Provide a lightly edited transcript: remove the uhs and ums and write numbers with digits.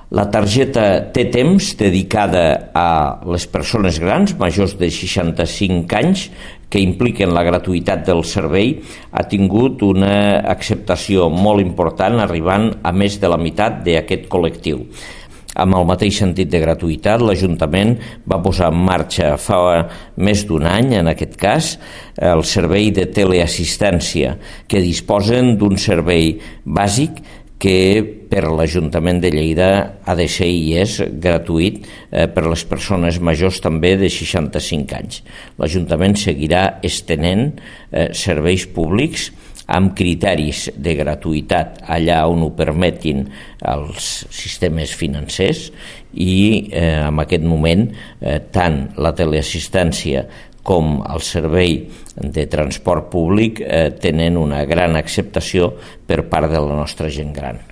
La targeta Té Temps, dedicada a les persones grans, majors de 65 anys, que impliquen la gratuïtat del servei, ha tingut una acceptació molt important, arribant a més de la meitat d'aquest col·lectiu. Amb el mateix sentit de gratuïtat, l'Ajuntament va posar en marxa fa més d'un any, en aquest cas, el servei de teleassistència, que disposen d'un servei bàsic que per l'Ajuntament de Lleida ha de ser i és gratuït per les persones majors també de 65 anys. L'Ajuntament seguirà estenent serveis públics amb criteris de gratuïtat allà on ho permetin els sistemes financers i en aquest moment tant la teleassistència com el servei de transport públic tenen una gran acceptació per part de la nostra gent gran.